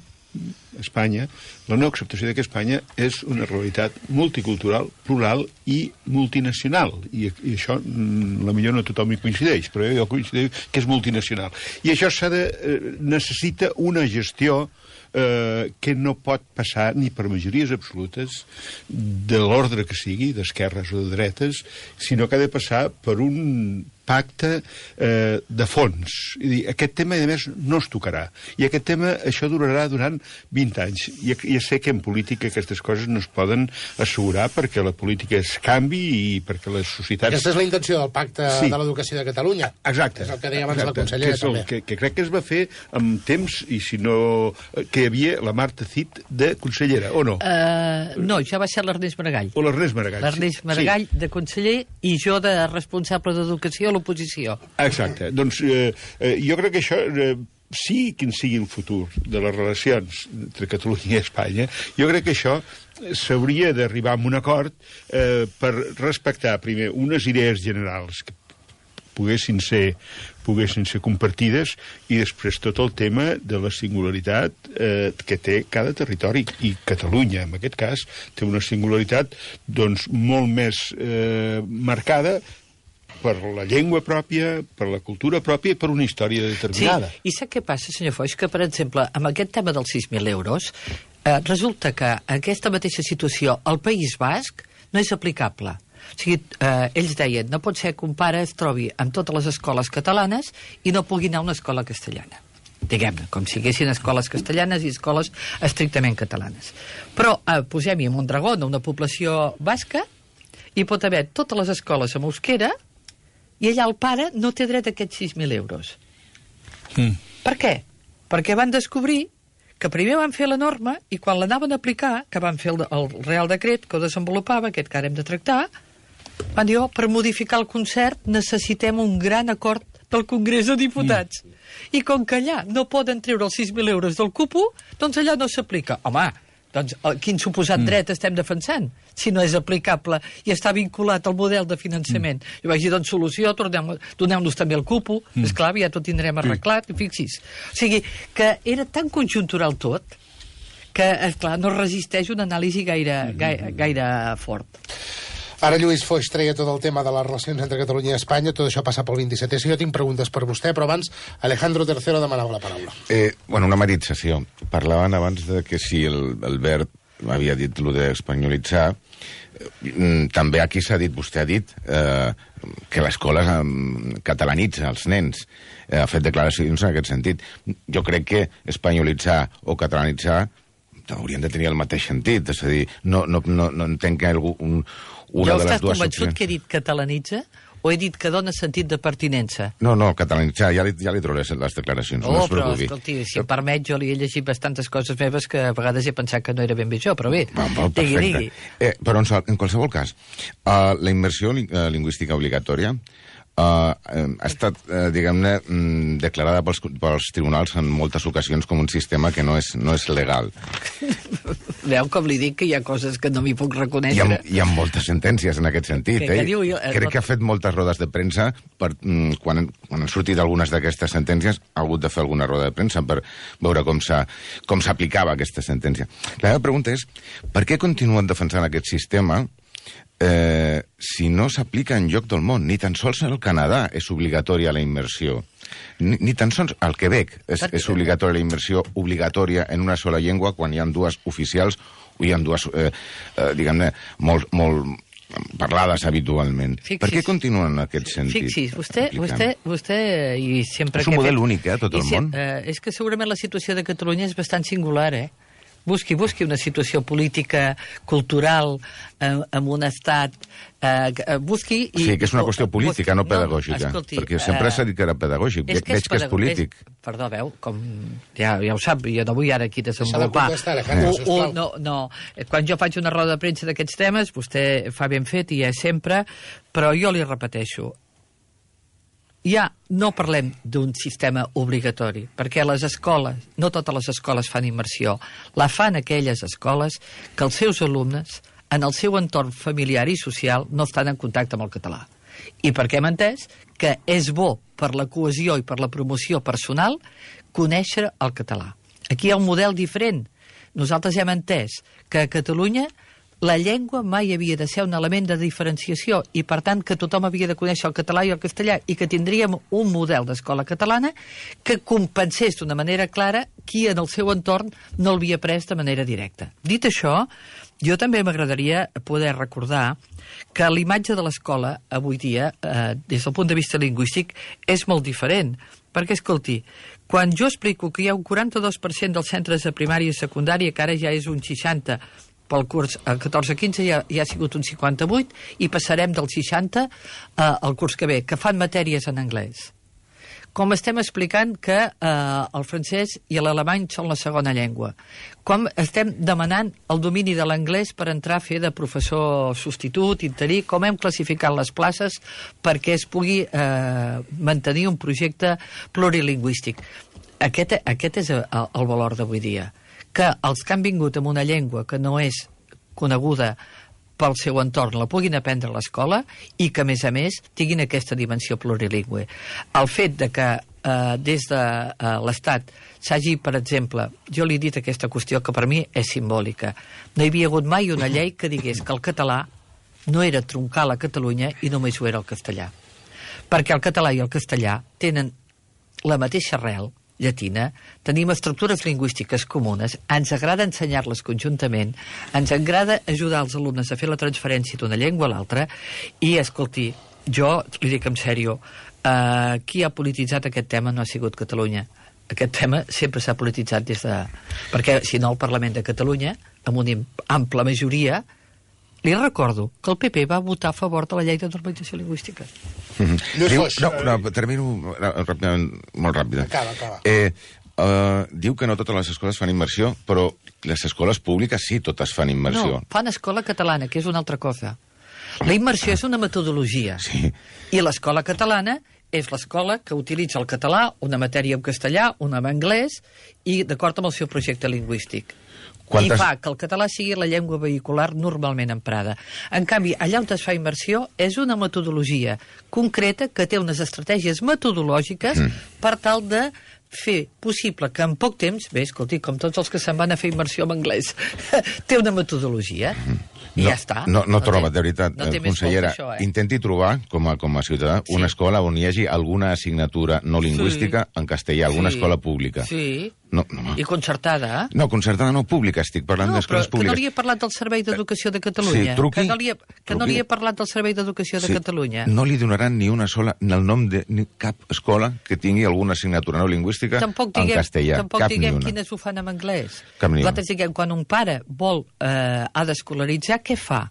Espanya, la no acceptació de que Espanya és una realitat multicultural, plural i multinacional. I, i això, la millor no tothom hi coincideix, però jo coincideix que és multinacional. I això s'ha de, eh, necessita una gestió eh, que no pot passar ni per majories absolutes de l'ordre que sigui, d'esquerres o de dretes, sinó que ha de passar per un pacte eh, de fons. I dir, aquest tema, a més, no es tocarà. I aquest tema, això durarà durant vint anys. I ja sé que en política aquestes coses no es poden assegurar perquè la política es canvi i perquè les societats... Aquesta és la intenció del pacte sí. de l'educació de Catalunya. Exacte. És el que deia abans la consellera, que és el, també. Que, que crec que es va fer amb temps, i si no... que hi havia la Marta Cid de consellera, o no? Uh, no, ja va ser l'Ernest Maragall. O l'Ernest Maragall. L'Ernest Maragall sí. de conseller i jo de responsable d'educació a l'oposició. Exacte. Doncs eh, eh, jo crec que això, eh, sigui quin sigui el futur de les relacions entre Catalunya i Espanya, jo crec que això s'hauria d'arribar a un acord eh, per respectar, primer, unes idees generals que poguessin ser, poguessin ser compartides, i després tot el tema de la singularitat eh, que té cada territori. I Catalunya, en aquest cas, té una singularitat doncs, molt més eh, marcada per la llengua pròpia, per la cultura pròpia i per una història determinada. Sí, i sap què passa, senyor Foix? Que, per exemple, amb aquest tema dels sis mil euros, eh, resulta que aquesta mateixa situació al País Basc no és aplicable. O sigui, eh, ells deien, no pot ser que un pare es trobi amb totes les escoles catalanes i no pugui anar a una escola castellana. Diguem-ne, com si haguessin escoles castellanes i escoles estrictament catalanes. Però eh, posem-hi a Mondragón, una població basca, hi pot haver totes les escoles amb euskera, i allà el pare no té dret a aquests sis mil euros. Mm. Per què? Perquè van descobrir que primer van fer la norma i quan l'anaven a aplicar, que van fer el, el Real Decret que ho desenvolupava, aquest que ara hem de tractar, van dir, oh, per modificar el concert necessitem un gran acord del Congrés de Diputats. Mm. I com que allà no poden treure els sis mil euros del cupo, doncs allà no s'aplica. Home, doncs quin suposat mm. dret estem defensant si no és aplicable i està vinculat al model de finançament. Mm. Jo vaig dir, doncs solució, doneu-nos també el cupo, mm. esclar, ja tot tindrem arreglat, i fixis. O sigui, que era tan conjuntural tot que, esclar, no resisteix una anàlisi gaire, gaire, gaire fort. Ara Lluís Foix treia tot el tema de les relacions entre Catalunya i Espanya, tot això passa pel vint-i-setè. Si jo tinc preguntes per vostè, però abans Alejandro tercero demanava la paraula. Eh, bueno, una matització. Parlaven abans de que si el, el Wert havia dit lo d'espanyolitzar, eh, també aquí s'ha dit, vostè ha dit, eh, que l'escola eh, catalanitza els nens. Eh, ha fet declaracions en aquest sentit. Jo crec que espanyolitzar o catalanitzar haurien de tenir el mateix sentit. És a dir, no, no, no, no entenc que algú... Un, Una ja estàs convençut que he dit catalanitza o he dit que dona sentit de pertinença? No, no, catalanitzar, ja li, ja li trobaré les declaracions, Oh, no es però, preocupi. escolti, si em permet, jo li he llegit bastantes coses meves que a vegades he pensat que no era ben bé jo, però bé, Va, va, digui, perfecte. digui. Eh, però en, en qualsevol cas, uh, la immersió ling uh, lingüística obligatòria Uh, ha estat, uh, diguem-ne, mm, declarada pels, pels tribunals en moltes ocasions com un sistema que no és, no és legal. Veu com li dic que hi ha coses que no m'hi puc Hi reconèixer? ha, hi ha moltes sentències en aquest sentit. Que- que eh? diu jo- eh, Crec que ha fet moltes rodes de premsa per, mm, quan, quan han sortit algunes d'aquestes sentències ha hagut de fer alguna roda de premsa per veure com s'ha- com s'aplicava aquesta sentència. La meva pregunta és, per què continuen defensant aquest sistema eh, si no s'aplica en lloc del món? Ni tan sols al Canadà és obligatòria la immersió. Ni, ni tan sols al Quebec és, és obligatòria la immersió obligatòria en una sola llengua quan hi ha dues oficials o hi ha dues, eh, eh, diguem-ne, molt, molt parlades habitualment. Fixis, per què continuen en aquest sentit? Fixis, vostè, vostè, vostè i sempre... És un que he model fet- únic, eh, a tot i el si- món. Eh, és que segurament la situació de Catalunya és bastant singular, eh? Busqui, busqui una situació política, cultural, eh, amb un estat... Eh, eh, busqui... I, Sí, que és una qüestió política, no pedagògica. escolti, perquè sempre eh, s'ha dit que era pedagògic. és que és Veig que és pedago- polític. És, perdó, veu, com ja, ja ho sap, jo no vull ara aquí Deixa de desenvolupar. contestar, Alejandro, Un- sisplau. un- no, no, quan jo faig una roda de premsa d'aquests temes, vostè fa ben fet i és sempre, però jo li repeteixo, ja no parlem d'un sistema obligatori, perquè les escoles, no totes les escoles fan immersió, la fan aquelles escoles que els seus alumnes, en el seu entorn familiar i social, no estan en contacte amb el català. I perquè hem entès que és bo per la cohesió i per la promoció personal conèixer el català. Aquí hi ha un model diferent. Nosaltres hem entès que a Catalunya la llengua mai havia de ser un element de diferenciació i, per tant, que tothom havia de conèixer el català i el castellà i que tindríem un model d'escola catalana que compensés d'una manera clara qui en el seu entorn no l'havia pres de manera directa. Dit això, jo també m'agradaria poder recordar que l'imatge de l'escola avui dia, eh, des del punt de vista lingüístic, és molt diferent. Perquè, escolti, quan jo explico que hi ha un quaranta-dos per cent dels centres de primària i secundària, que ara ja és un seixanta per cent, pel curs catorze quinze ja, ja ha sigut un cinquanta-vuit i passarem del seixanta eh, al curs que ve, que fan matèries en anglès. Com estem explicant que eh, el francès i l'alemany són la segona llengua. Com estem demanant el domini de l'anglès per entrar a fer de professor substitut, interí, com hem classificat les places perquè es pugui eh, mantenir un projecte plurilingüístic. Aquest, aquest és el, el valor d'avui dia, que els que han vingut amb una llengua que no és coneguda pel seu entorn la puguin aprendre a l'escola i que, a més a més, tinguin aquesta dimensió plurilingüe. El fet de que eh, des de eh, l'Estat s'hagi, per exemple, jo li he dit aquesta qüestió que per mi és simbòlica, no hi havia hagut mai una llei que digués que el català no era troncal a Catalunya i només ho era el castellà. Perquè el català i el castellà tenen la mateixa arrel llatina, tenim estructures lingüístiques comunes, ens agrada ensenyar-les conjuntament, ens agrada ajudar els alumnes a fer la transferència d'una llengua a l'altra, i, escolti, jo li dic en sèrio, eh, qui ha polititzat aquest tema no ha sigut Catalunya. Aquest tema sempre s'ha polititzat des de... Perquè, si no, el Parlament de Catalunya, amb una ampla majoria, li recordo que el P P va votar a favor de la llei de normalització lingüística. Mm-hmm. Lluís Diu, Foix, no, eh, no, termino ràpidament, molt ràpida. Acaba, acaba. Eh, uh, diu que no totes les escoles fan immersió, però les escoles públiques sí, totes fan immersió. No, fan escola catalana, que és una altra cosa. La immersió és una metodologia. Sí. I l'escola catalana és l'escola que utilitza el català, una matèria en castellà, una en anglès, i d'acord amb el seu projecte lingüístic. Quantes... I fa que el català sigui la llengua vehicular normalment emprada. En canvi, allà on es fa immersió és una metodologia concreta que té unes estratègies metodològiques mm. per tal de fer possible que en poc temps, bé, escolti, com tots els que se'n van a fer immersió en anglès, té una metodologia mm. i no, ja està. No, no, no troba, té, de veritat, no té eh, més consellera, això, eh? intenti trobar, com a, com a ciutadà, Sí. una escola on hi hagi alguna assignatura no lingüística Sí. en castellà, alguna Sí. escola pública. Sí, No, no, i concertada, eh? no, concertada no, pública, estic parlant No, però d'escoles que no públiques. li he parlat del Servei d'Educació de Catalunya. Sí, truqui, que no li he, que no truqui. li he parlat del Servei d'Educació de Sí, Catalunya. No li donaran ni una sola, ni el nom de ni cap escola que tingui alguna assignatura no lingüística Tampoc en diguem, castellà. tampoc Cap diguem ni una. quines ho fan en anglès. Cap ni una. Nosaltres diguem, quan un pare vol, eh, ha d'escolaritzar, què fa?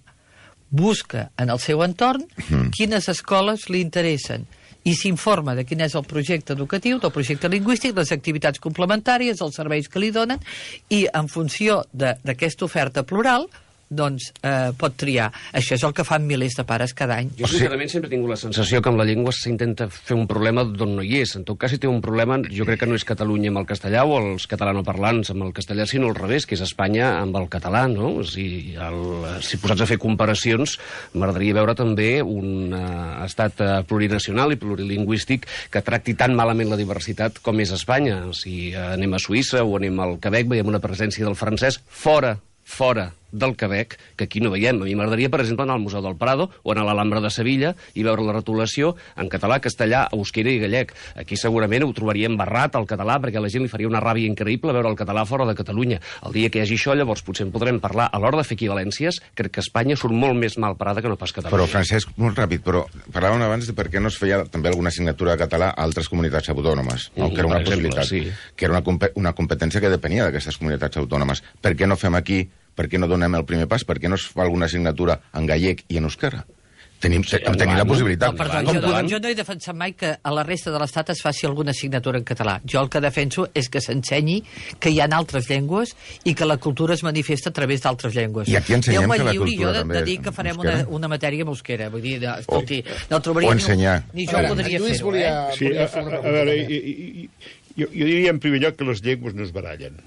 busca en el seu entorn quines escoles li interessen i s'informa de quin és el projecte educatiu, del projecte lingüístic, les activitats complementàries, els serveis que li donen, i en funció d'aquesta oferta plural doncs eh, pot triar. Això és el que fan milers de pares cada any. Jo sincerament sempre he tingut la sensació que amb la llengua s'intenta fer un problema d'on no hi és. En tot cas, si té un problema, jo crec que no és Catalunya amb el castellà o els catalanoparlants amb el castellà, sinó al revés, que és Espanya amb el català, no? Si, el, si posats a fer comparacions, m'agradaria veure també un uh, estat uh, plurinacional i plurilingüístic que tracti tan malament la diversitat com és Espanya. Si uh, anem a Suïssa o anem al Quebec, veiem una presència del francès fora, fora del Quebec, que aquí no veiem. A mi m'agradaria, per exemple, anar al Museu del Prado o anar a l'Alhambra de Sevilla i veure la retolació en català, castellà, euskera i gallec. Aquí segurament ho trobaríem barrat, el català, perquè a la gent li faria una ràbia increïble veure el català fora de Catalunya. El dia que hi hagi això, llavors potser en podrem parlar. A l'hora de fer equivalències, crec que Espanya surt molt més mal parada que no pas Catalunya. Però, Francesc, molt ràpid, però parlàvem abans de per què no es feia també alguna assignatura de català a altres comunitats autònomes, no? Mm, que era una per exemple, possibilitat, sí. que era una, compe una competència que depenia d'aquestes comunitats autònomes. Per què no fem aquí, per què no donem el primer pas, per què no es fa alguna assignatura en gallec i en euskera? Tenim, sí, tenim la possibilitat. No, perdó, jo, no, jo no he defensat mai que a la resta de l'Estat es faci alguna assignatura en català. Jo el que defenso és que s'ensenyi que hi ha altres llengües i que la cultura es manifesta a través d'altres llengües. I aquí ensenyem que la cultura jo de, també de dir que farem una, una matèria amb euskera. Vull dir, de, escolti, o, no trobaria o ensenyar. Ni, ni jo veure, podria Lluís fer-ho, volia, eh? Sí, volia a, fer una a, a pregunta. veure, i, i, i, jo, jo diria en primer lloc que les llengües no es barallen.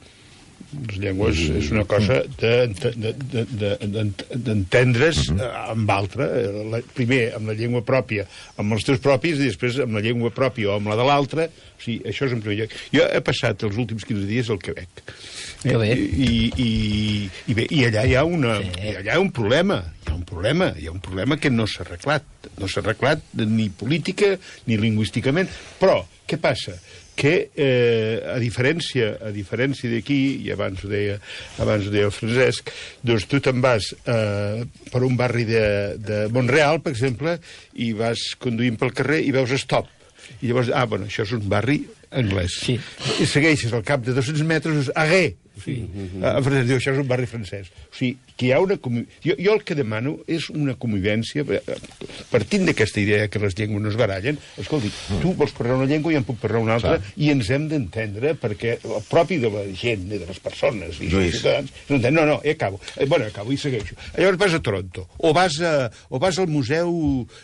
Les llengües mm. és una cosa d'entendre's de, de, de, de, amb altra. La, primer amb la llengua pròpia, amb els teus propis, i després amb la llengua pròpia o amb la de l'altra. O sigui, això és en primer lloc. Jo he passat els últims quinze dies al Quebec. Que bé. I, i, i, bé, i allà hi ha, una, sí. allà hi ha un problema. Hi ha un problema. Hi ha un problema que no s'ha arreglat. No s'ha arreglat ni política ni lingüísticament. Però, què passa? Que eh, a diferència a diferència d'aquí, i abans ho deia abans ho deia el Francesc, doncs tu te'n vas eh, per un barri de, de Montreal, per exemple, i vas conduint pel carrer i veus stop. I llavors, ah, bueno, això és un barri anglès. Sí. I segueixes al cap de dos-cents metres, arré. O sigui, mm-hmm. en francès diu, això és un barri francès. O sigui, que hi ha una... Jo, jo el que demano és una convivència, partint d'aquesta idea que les llengües no es barallen. Escolti, mm. tu vols parlar una llengua i en puc parlar una altra, clar. I ens hem d'entendre, perquè el propi de la gent, de les persones i els ciutadans... No, no, ja acabo. Eh, bueno, acabo i segueixo. Llavors vas a Toronto, o vas, a, o vas al museu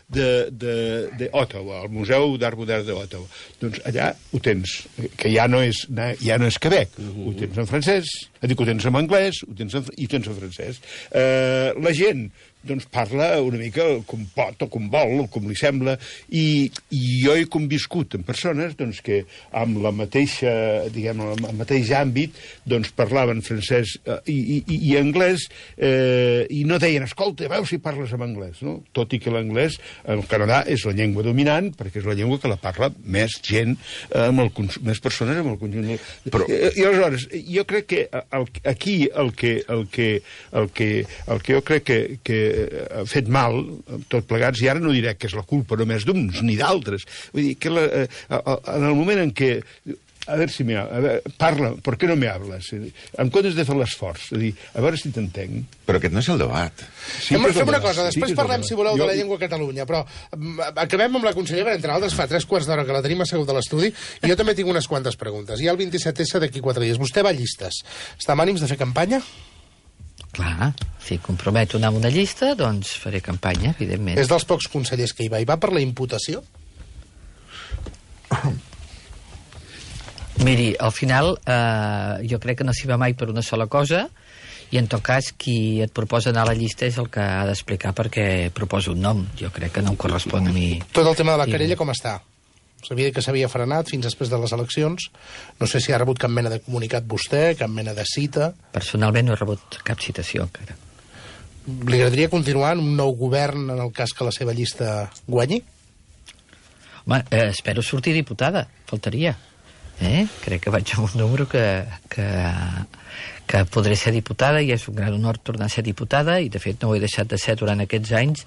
d'Ottawa, al Museu d'Art Modern d'Ottawa. Doncs allà ho tens, que ja no és, ja no és Quebec, mm-hmm. ho tens en francès, dic, ho tens en anglès, ho tens en, i ho tens en francès. Eh, la gent doncs parla una mica com pot o com vol o com li sembla, i, i jo he conviscut amb persones doncs, que amb la mateixa, diguem, el mateix àmbit doncs parlaven francès eh, i, i, i anglès eh, i no deien, escolta, veus si parles en anglès, no? Tot i que l'anglès al Canadà és la llengua dominant perquè és la llengua que la parla més gent, eh, amb el, més persones amb el conjunt. Però... I, i aleshores, jo crec que el, aquí el que, el, que, el, que, el que jo crec que, que ha fet mal, tot plegats, i ara no diré que és la culpa només d'uns ni d'altres. Vull dir, que la, eh, en el moment en què a veure si me a veure, parla, per què no me hables? En comptes de fer l'esforç, a dir, a veure si t'entenc. Però aquest no és el debat. Sí, fem fem una cosa, després sí parlem, si voleu, jo... de la llengua a Catalunya, però acabem amb la consellera, entre altres, fa tres quarts d'hora que la tenim assegut a l'estudi, i jo també tinc unes quantes preguntes. Hi ha el vint-i-set essa d'aquí quatre dies. Vostè va a llistes. Està amb ànims de fer campanya? Clar, si comprometo anar amb una llista, doncs faré campanya, evidentment. És dels pocs consellers que hi va. Hi va per la imputació? Miri, al final, eh, jo crec que no s'hi va mai per una sola cosa, i en tot cas, qui et proposa anar a la llista és el que ha d'explicar perquè proposa un nom. Jo crec que no em correspon a mi. Tot el tema de la querella com està? Sabia que s'havia frenat fins després de les eleccions. No sé si ha rebut cap mena de comunicat vostè, cap mena de cita. Personalment no he rebut cap citació encara. Li agradaria continuar en un nou govern en el cas que la seva llista guanyi? Home, eh, espero sortir diputada, faltaria. Eh? Crec que vaig amb un número que, que, que podré ser diputada i és un gran honor tornar a ser diputada i de fet no ho he deixat de ser durant aquests anys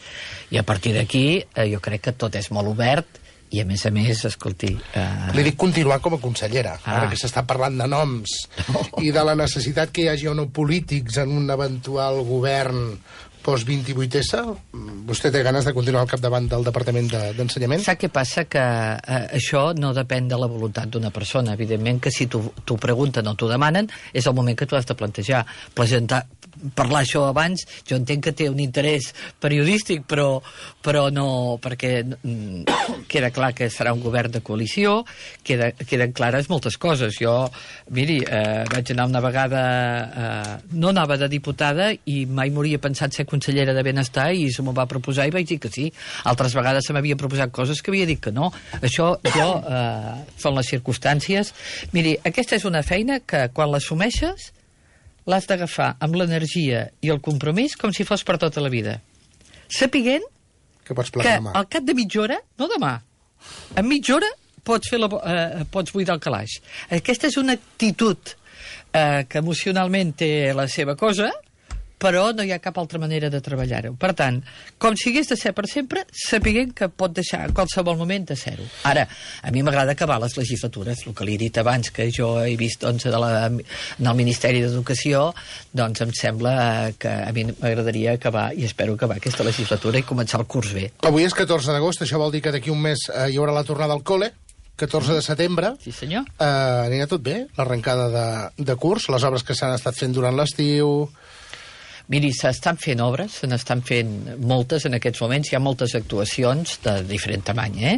i a partir d'aquí eh, jo crec que tot és molt obert i a més a més, escolti... Uh... Li dic continuar com a consellera, ah. ara que s'està parlant de noms no. i de la necessitat que hi hagi o no polítics en un eventual govern post vint-i-vuit essa, vostè té ganes de continuar al capdavant del Departament d'Ensenyament? Sap què passa? Que eh, això no depèn de la voluntat d'una persona. Evidentment que si t'ho pregunten o t'ho demanen, és el moment que tu has de plantejar. Presentar, parlar això abans, jo entenc que té un interès periodístic, però, però no, perquè mm, queda clar que serà un govern de coalició, queda, queden clares moltes coses. Jo, miri, eh, vaig anar una vegada, eh, no anava de diputada i mai m'hauria pensat ser consellera de Benestar i se m'ho va proposar i vaig dir que sí. Altres vegades se m'havia proposat coses que havia dit que no. Això, jo, eh, són les circumstàncies. Miri, aquesta és una feina que quan l'assumeixes l'has d'agafar amb l'energia i el compromís com si fos per tota la vida. Sapiguent que, pots que al cap de mitja hora, no demà, en mitja hora pots, fer la, eh, pots buidar el calaix. Aquesta és una actitud eh, que emocionalment té la seva cosa, però no hi ha cap altra manera de treballar-ho. Per tant, com si hagués de ser per sempre, sapiguent que pot deixar en qualsevol moment de ser-ho. Ara, a mi m'agrada acabar les legislatures, el que li he dit abans, que jo he vist doncs, de la, en el Ministeri d'Educació, doncs em sembla que a mi m'agradaria acabar, i espero acabar aquesta legislatura i començar el curs bé. Avui és catorze d'agost, això vol dir que d'aquí un mes eh, hi haurà la tornada al col·le, catorze de setembre. Sí, senyor. Eh, anirà tot bé, l'arrencada de, de curs, les obres que s'han estat fent durant l'estiu... Miri, s'estan fent obres, se n'estan fent moltes en aquests moments, hi ha moltes actuacions de diferent tamany, eh?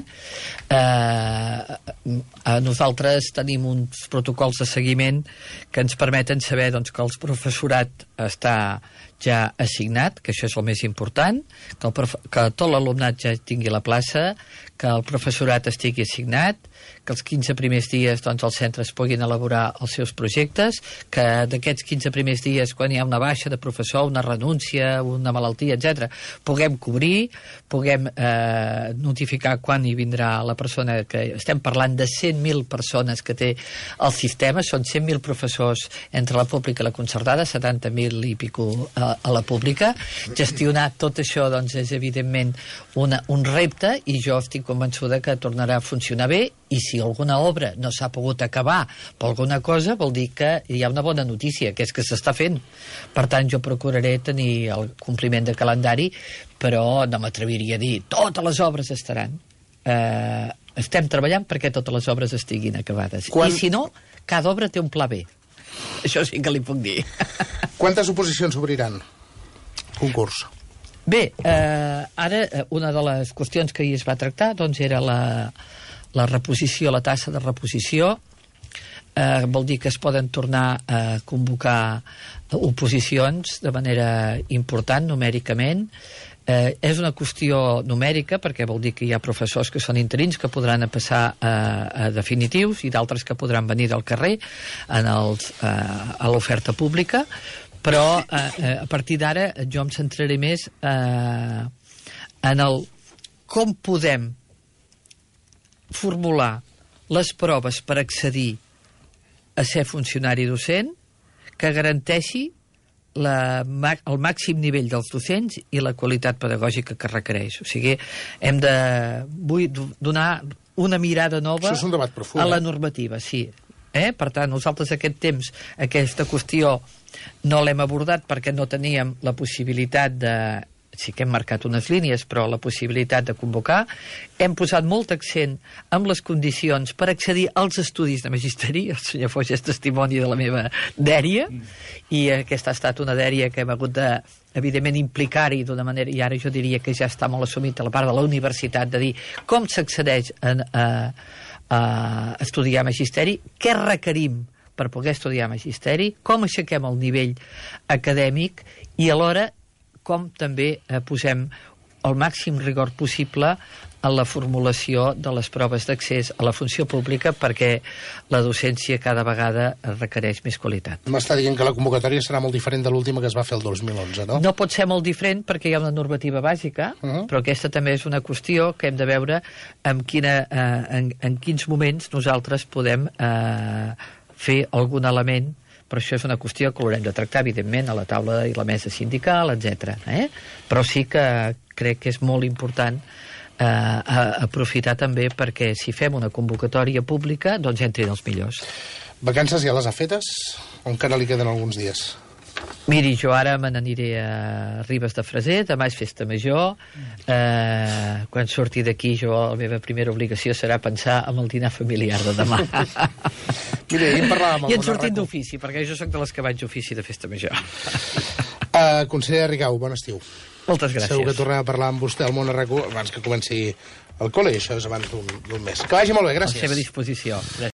eh nosaltres tenim uns protocols de seguiment que ens permeten saber doncs, que el professorat està ja assignat, que això és el més important, que, el prof... que tot l'alumnat ja tingui la plaça, que el professorat estigui assignat, que els quinze primers dies doncs, els centres puguin elaborar els seus projectes, que d'aquests quinze primers dies, quan hi ha una baixa de professor, una renúncia, una malaltia, etcètera, puguem cobrir, puguem eh, notificar quan hi vindrà la persona, que estem parlant de cent mil persones que té el sistema, són cent mil professors entre la pública i la concertada, setanta mil i pico a, a la pública. Gestionar tot això doncs, és evidentment una, un repte, i jo estic convençuda que tornarà a funcionar bé, i si alguna obra no s'ha pogut acabar per alguna cosa, vol dir que hi ha una bona notícia, que és que s'està fent. Per tant, jo procuraré tenir el compliment de calendari, però no m'atreviria a dir totes les obres estaran. Eh, estem treballant perquè totes les obres estiguin acabades. Quan... I si no, cada obra té un pla B. Això sí que li puc dir. Quantes oposicions obriran? Concurs. Bé, eh, ara una de les qüestions que ahir es va tractar doncs era la, la reposició, la tassa de reposició. Eh, vol dir que es poden tornar a convocar oposicions de manera important, numèricament. Eh, és una qüestió numèrica perquè vol dir que hi ha professors que són interins que podran passar a, a definitius i d'altres que podran venir del carrer en els, eh, a l'oferta pública, però eh, a partir d'ara jo em centraré més eh, en el com podem formular les proves per accedir a ser funcionari docent que garanteixi la, el màxim nivell dels docents i la qualitat pedagògica que requereix. O sigui, hem de vull donar una mirada nova Això és un debat profund, a la eh? normativa, sí. Eh? Per tant, nosaltres aquest temps, aquesta qüestió, no l'hem abordat perquè no teníem la possibilitat de... Sí que hem marcat unes línies, però la possibilitat de convocar. Hem posat molt accent en les condicions per accedir als estudis de magisteri. El senyor Foix és testimoni de la meva dèria, i aquesta ha estat una dèria que hem hagut de, evidentment, implicar-hi d'una manera, i ara jo diria que ja està molt assumit a la part de la universitat, de dir com s'accedeix a, a, a estudiar magisteri, què requerim per poder estudiar magisteri, com aixequem el nivell acadèmic i alhora com també eh, posem el màxim rigor possible en la formulació de les proves d'accés a la funció pública perquè la docència cada vegada requereix més qualitat. M'està dient que la convocatòria serà molt diferent de l'última que es va fer el dos mil onze, no? No pot ser molt diferent perquè hi ha una normativa bàsica, uh -huh. però aquesta també és una qüestió que hem de veure en, quina, eh, en, en quins moments nosaltres podem eh, fer algun element. Però això és una qüestió que l'haurem de tractar, evidentment, a la taula i la mesa sindical, etcètera. Eh? Però sí que crec que és molt important eh, a, aprofitar també perquè si fem una convocatòria pública, doncs entrin els millors. Vacances ja les ha fetes? O encara li queden alguns dies? Miri, jo ara me n'aniré a Ribes de Freser, demà és festa major, eh, quan surti d'aquí jo la meva primera obligació serà pensar en el dinar familiar de demà. Mira, ahir en parlàvem... I en sortint d'ofici, perquè jo sóc de les que vaig d'ofici de festa major. Uh, conseller Rigau, bon estiu. Moltes gràcies. Segur que tornem a parlar amb vostè al món arracó abans que comenci el col·le, i això és abans d'un mes. Que vagi molt bé, gràcies. A la seva disposició. Gràcies.